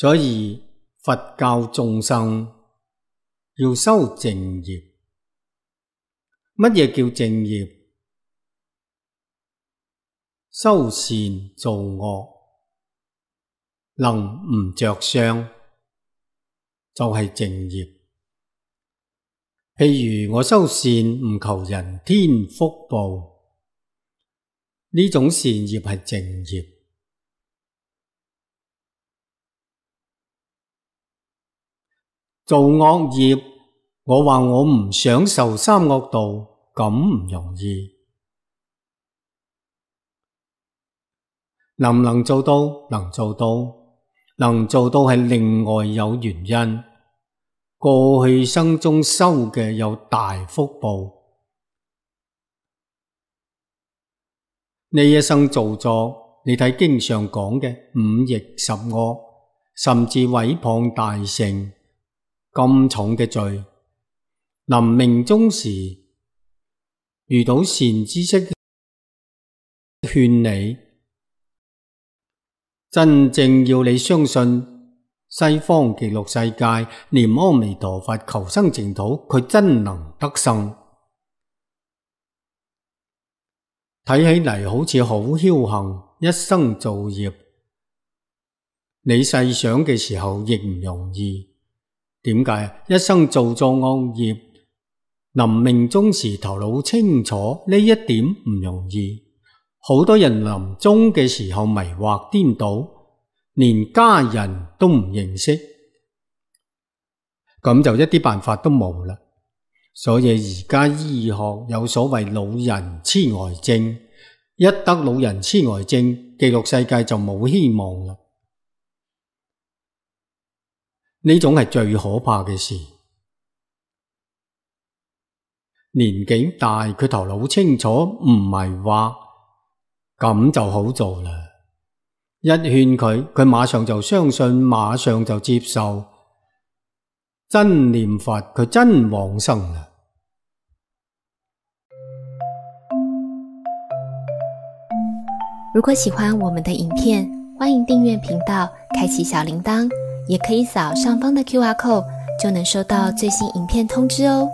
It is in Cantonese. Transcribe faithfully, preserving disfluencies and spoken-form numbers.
所以佛教眾生要修正業。乜嘢叫正業？修善做惡，能唔着相，就係正業。譬如我修善唔求人天福報，呢種善業係正業。做惡業，我話我唔想受三惡道，咁唔容易。能唔能做到？能做到，能做到係另外有原因。過去生中修嘅有大福報，呢一生做咗，你睇經上講嘅五逆十惡，甚至毀謗大乘咁重嘅罪，臨命終時遇到善知識勸你，真正要你相信西方極樂世界念阿彌陀佛求生淨土，佢真能得生。睇起嚟好似好僥倖，一生造業，你細想嘅時候亦唔容易。點解？一生做咗惡業，臨命終時頭腦清楚，呢一點唔容易。好多人臨終嘅時候迷惑顛倒，連家人都唔認識，咁就一啲辦法都冇啦。所以而家醫學有所謂老人痴呆症，一得老人痴呆症，極樂世界就冇希望啦。呢種係最可怕嘅事。年紀大，佢頭腦清楚，唔迷惑，咁就好做啦。一勸佢，佢馬上就相信，馬上就接受，真念佛，佢真往生啦。如果喜歡我們的影片，歡迎訂閱頻道，開啟小鈴鐺，也可以掃上方的 Q R code，就能收到最新影片通知哦。